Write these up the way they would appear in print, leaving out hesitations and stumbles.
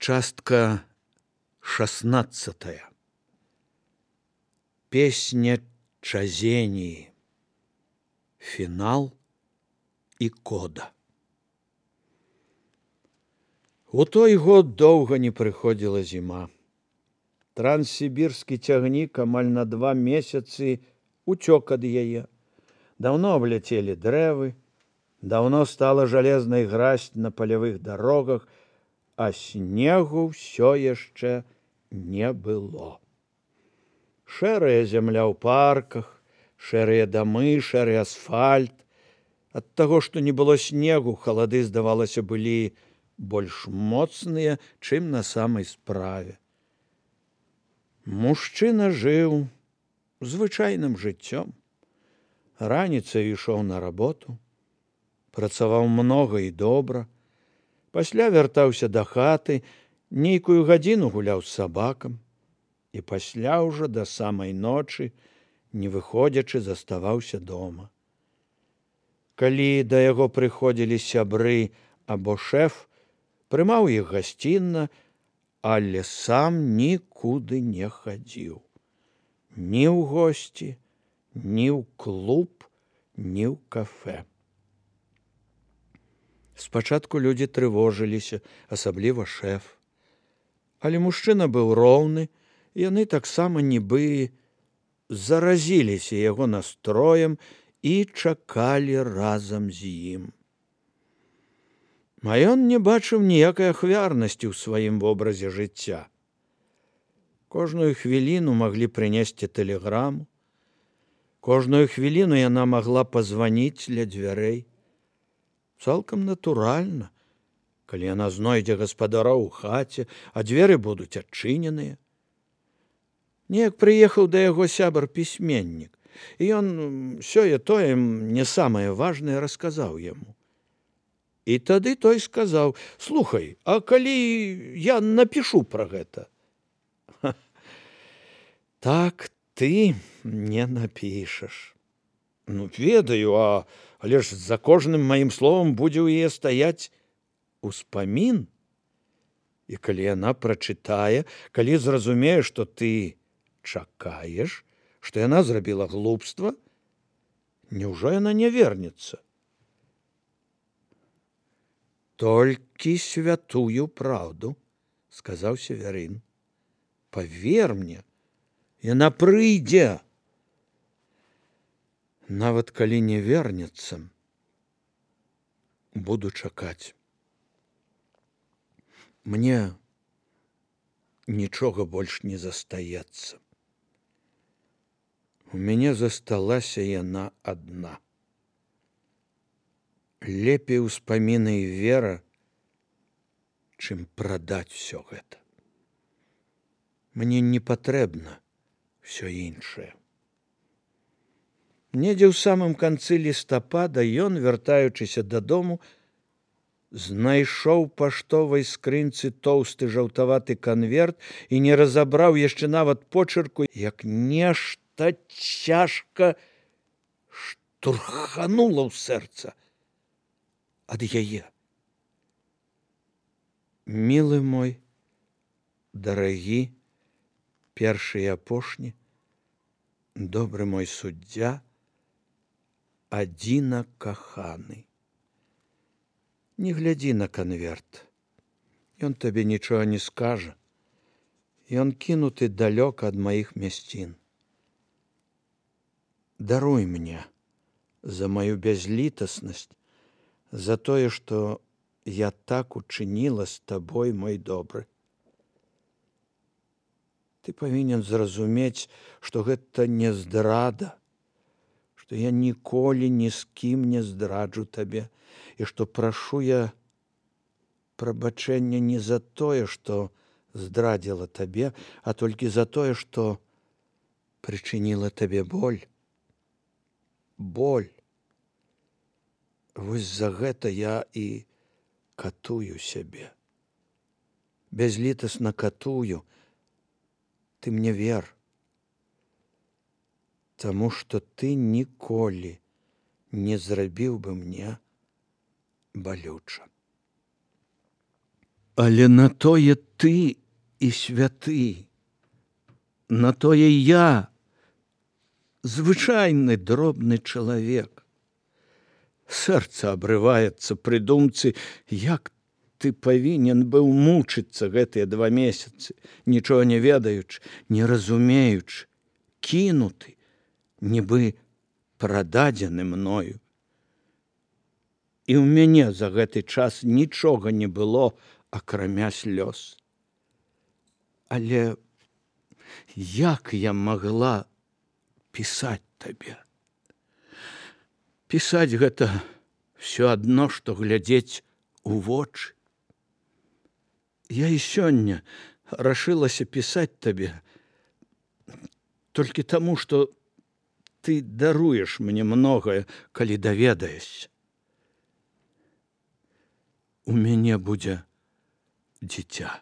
Частка 16. Песня Чазении. Финал и кода. У той год доўга не прыходзіла зіма. Транссібірскі цягнік амаль на 2 месяцы уцёк ад яе. Даўно абляцелі дрэвы, даўно стала жалезнай гразь на палявых дарогах, а снегу ўсё яшчэ не было. Шэрая зямля ў парках, шэрыя дамы, шэры асфальт. Ад таго, што не было снегу, халады, здавалася, былі больш моцныя, чым на самай справе. Мужчына жыў звычайным жыццём. Раніцай ішоў на работу, працаваў многа і добра, пасля вяртаўся да хаты, нейкую гадзіну гуляў з сабакам і пасля ўжо да самай ночы, не выходзячы, заставаўся дома. Калі да яго прыходзілі сябры або шэф, прымаў іх гасцінна, але сам нікуды не хадзіў. Ні ў госці, ні ў клуб, ні ў кафэ. Спачатку людзі трывожыліся, асабліва шэф. Але мужчына быў роўны, яны таксама нібы заразіліся яго настроем і чакалі разам з ім. А ён не бачыў ніякай ахвярнасці ў сваім вобразе жыцця. Кожную хвіліну маглі прынесці тэлеграму, кожную хвіліну яна магла пазваніць ля дзвярэй. Цалкам натуральна, калі яна знойдзе гаспадара ў хаце, а дзверы будуць адчыненыя. Неяк прыехаў да яго сябар-пісьменнік, і ён сёе-тое не самае важнае расказаў яму. І тады той сказаў: «Слухай, а калі я напішу пра гэта?» «Так ты не напішаш». «Ну, ведаю, але ж за кожным маім словам будзе ў яе стаяць успамін. І калі яна прачытае, калі зразумее, што ты чакаеш, што яна зрабіла глупства, няўжо яна не вернецца?» «Толькі святую праўду», — сказаў Северын. «Павер мне, яна прыйдзе. Нават калі не вернецца, буду чакаць. Мне нічога больш не застаецца. У мяне засталася яна адна. Лепей успаміны і вера, чым прадаць усё гэта. Мне не патрэбна ўсё іншае». Недзе ў самым канцы лістапада ён, вяртаючыся дадому, знайшоў паштовай скрынцы тоўсты жаўтаваты канверт і не разабраў яшчэ нават почырку, як нешта цяжка штурханула ў сэрца ад яе. «Мілы мой, дарагі, першы і апошні, добры мой суддзя, адзіна каханы. Не глядзі на канверт. Ён табе нічога не скажа. Ён кінуты далёка ад маіх мясцін. Даруй мне за маю бязлітаснасць, за тое, што я так учыніла з табой, мой добры. Ты павінен зразумець, што гэта не здрада, што я ніколі ні з кім не здраджу табе, і што прашу я прабачэння не за тое, што здрадзіла табе, а толькі за тое, што прычыніла табе боль. Боль. Вось за гэта я і катую сябе. Бязлітасна катую. Ты мне вер. Таму што ты ніколі не зрабіў бы мне балюча». Але на тое ты і святы, на тое я, звычайны дробны чалавек. Сэрца абрываецца пры думцы, як ты павінен быў мучыцца гэтыя 2 месяцы, нічога не ведаючы, не разумеючы, кінуты, нібы прададзены мною. І ў мяне за гэты час нічога не было, акрамя слёз. Але як я магла пісаць табе? Пісаць гэта ўсё адно, што глядзець у вочы. Я і сёння рашылася пісаць табе толькі таму, што ты даруеш мне многае, калі даведаешся. У мяне будзе дзіця.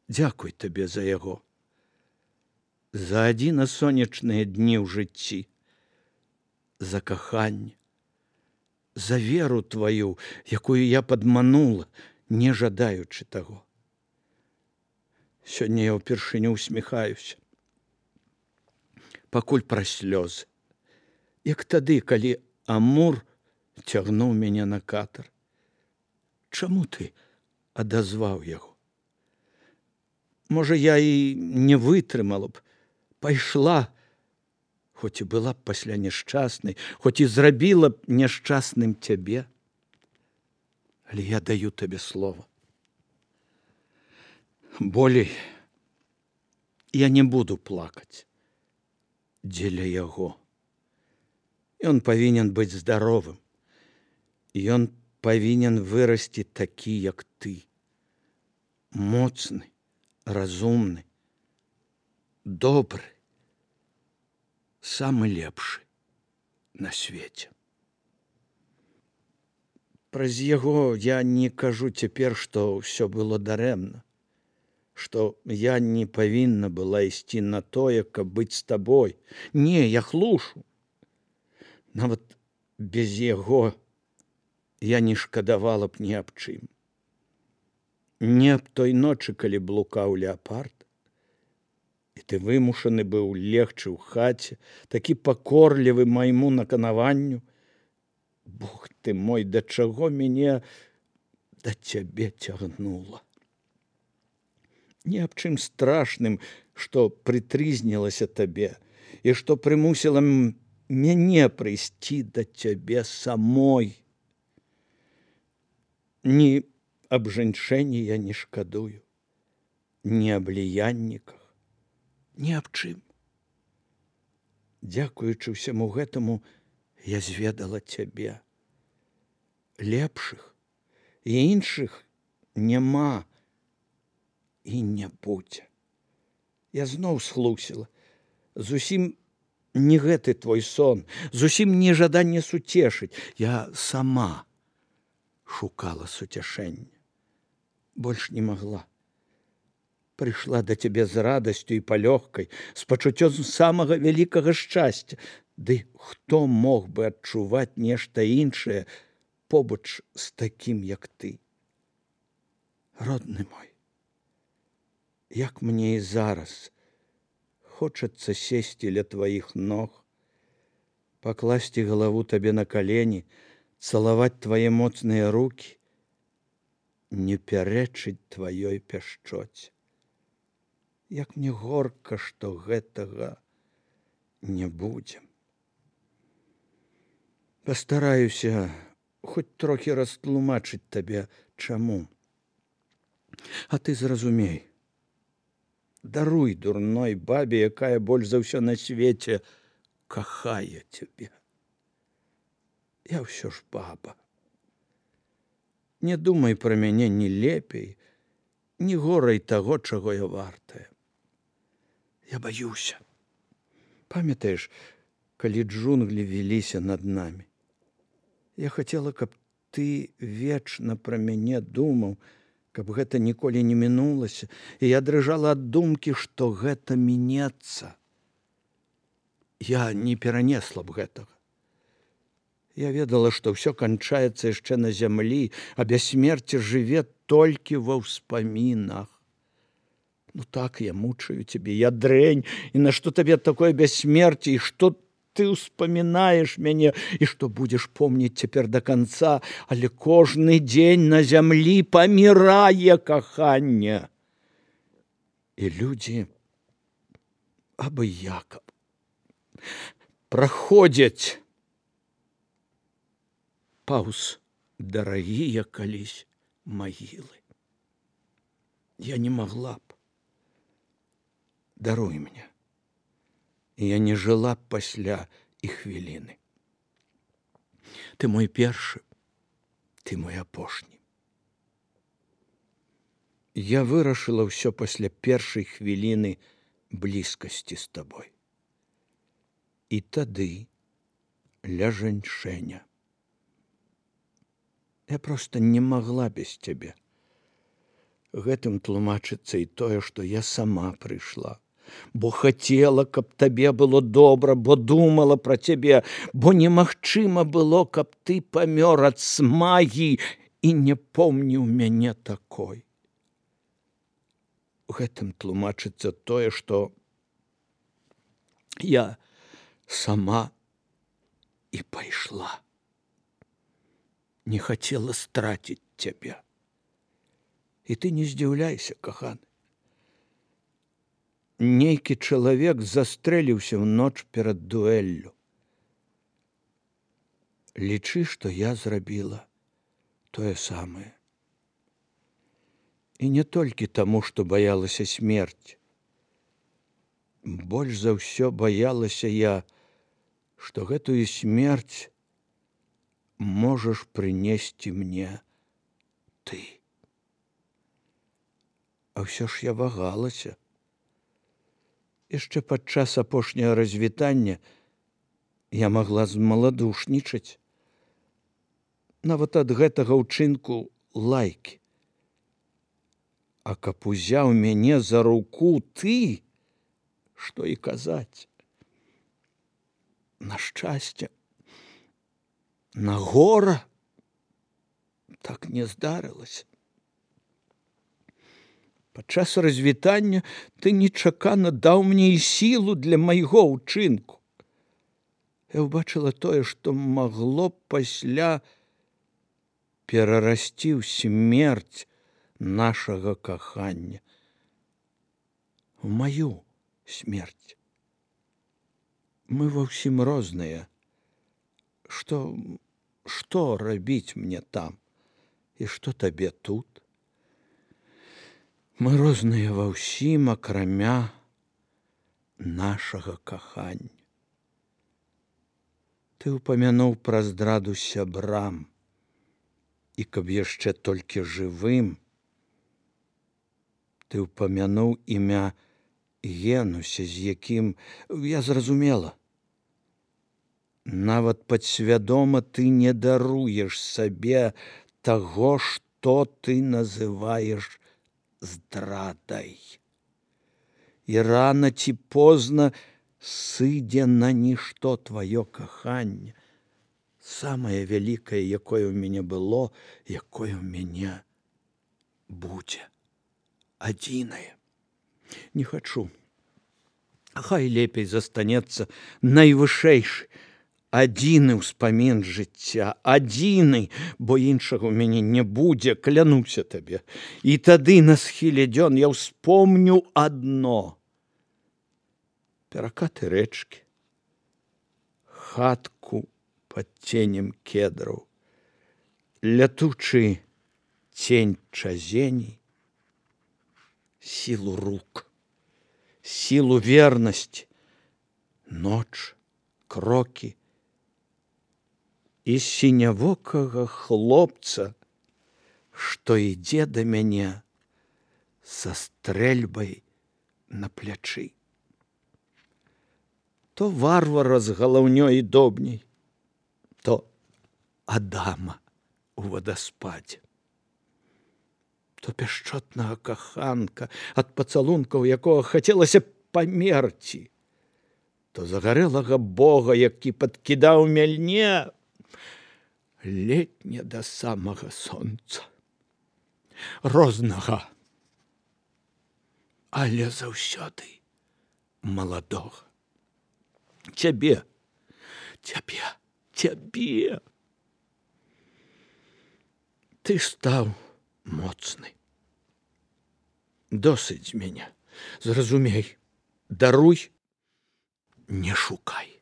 Дзякуй табе за яго. За адзіна сонечныя дні ў жыцці, за каханне, за веру тваю, якую я падманула, не жадаючы таго. Сёння я ўпершыню усміхаюся. Пакуль пра слёзы. Як тады, калі Амур цягнуў мяне на катар. Чаму ты адазваў яго? Можа, я і не вытрымала б, пайшла, хоць і была б пасля няшчаснай, хоць і зрабіла б няшчасным цябе. Але я даю табе слова. Болей я не буду плакаць дзеля яго. Ён павінен быць здаровым. Ён павінен вырасці такі, як ты. Моцны, разумны, добры, самы лепшы на свеце. Праз яго я не кажу цяпер, што ўсё было дарэмна, што я не павінна была ісці на тое, каб быць з табой. Не, я хлушу. Нават без яго я не шкадавала б ні аб чым. Не аб той ночы, калі блукаў леапард, і ты вымушаны быў легчы ў хаце, такі пакорлівы майму наканаванню. Бог ты мой, да чаго мяне да цябе цягнула. Не аб чым страшным, што прытрызнілася табе, і што прымусіла мяне прыйсці да цябе самой. Ні аб жанчыне я не шкадую, ні аб ліянніках, ні аб чым. Дзякуючы ўсяму гэтаму, я зведала цябе. Лепшых і іншых няма і не будзе. Я зноў схлусіла. Зусім не гэты твой сон, зусім не жаданне суцешыць. Я сама шукала суцяшэння. Больш не магла. Прыйшла да цябе з радасцю і палёгкай, з пачуццём самага вялікага шчасця. Ды хто мог бы адчуваць нешта іншае побач з такім, як ты? Родны мой, як мне і зараз хочацца сесці ля тваіх ног, пакласці галаву табе на калені, цалаваць твае моцныя рукі, не пярэчыць тваёй пяшчоце. Як мне горка, што гэтага не будзе. Пастараюся хоць трохі растлумачыць табе, чаму. А ты зразумей. Даруй дурной бабе, якая больш за ўсё на свеце кахае цябе. Я ўсё ж баба. Не думай пра мяне ні лепей, ні горай таго, чаго я вартая. Я баюся. Памятаеш, калі джунглі віліся над намі? Я хацела, каб ты вечна пра мяне думаў, каб гэта ніколі не мінулася, і я дрыжала ад думкі, што гэта мінецца. Я не перанесла б гэтага. Я ведала, што ўсё канчаецца яшчэ на зямлі, а бяссмерце жыве толькі ва ўспамінах. Ну так, я мучаю цябе, я дрэнь, і нашто табе такое бяссмерце, і што ты ўспамінаеш мяне, і што будзеш помніць цяпер да канца, але кожны дзень на зямлі памірае каханне. І людзі абыякаб праходзяць паўз дарагія калісь магілы. Я не магла б. Даруй мне. Я не жыла б пасля і хвіліны. Ты мой першы, ты мой апошні. Я вырашыла ўсё пасля першай хвіліны блізкасці з табой. І тады ля жанчыня. Я проста не магла без цябе. Гэтым тлумачыцца і тое, што я сама прыйшла, бо хацела, каб табе было добра, бо думала пра цябе, бо немагчыма было, каб ты памёр ад смагі і не помніў мяне такой. Гэтым тлумачыцца тое, што я сама і пайшла. Не хацела страціць цябе. І ты не здзіўляйся, каханы. Нейкі чалавек застрэліўся ў ноч перад дуэллю. Лічы, што я зрабіла тое самае. І не толькі таму, што баялася смерць. Больш за ўсё баялася я, што гэтую смерць можаш прынесці мне ты. А ўсё ж я вагалася. Яшчэ падчас апошняга развітання я магла змаладушнічаць. Нават ад гэтага ўчынку лайкі. А каб узяў мяне за руку ты, што і казаць. На шчасце, на гора так не здарылася. Падчас развітання ты нечакана даў мне і сілу для майго ўчынку. Я ўбачыла тое, што магло б пасля перарасці ў смерць нашага кахання. У маю смерць. Мы ва ўсім розныя. Што рабіць мне там? І што табе тут? Мы розныя ва ўсім, акрамя нашага кахання. Ты ўпамянуў пра здраду сябрам, і каб яшчэ толькі жывым, ты ўпамянуў імя Генуся, з якім я зразумела. Нават падсвядома ты не даруеш сабе таго, што ты называеш здрадай. І рана ці позна сыдзе на нішто тваё каханне. Самае вялікае, якое ў мяне было, якое ў мяне будзе. Адзінае. Не хачу. Хай лепей застанецца найвышэйшы, адзіны ўспамін жыцця, адзіны, бо іншага ў мяне не будзе, клянуся табе. І тады на схіле дзён я ўспомню адно. Перакаты рэчкі, хатку пад ценем кедраў, лятучы цень чазеней, сілу рук, сілу вернасці, ноч, крокі і сінявокага хлопца, што ідзе да мяне са стрэльбай на плячы. То варвара з галаўнёй і добняй, то Адама у вадаспадзе. То пяшчотнага каханка, ад пацалункаў якога хацелася памерці, то загарэлага бога, які падкідаў мяльне, летне да самага сонца, рознага, але заўсёды маладога. Цябе, ты стаў моцны. Досыць з мяне, зразумей, даруй, не шукай.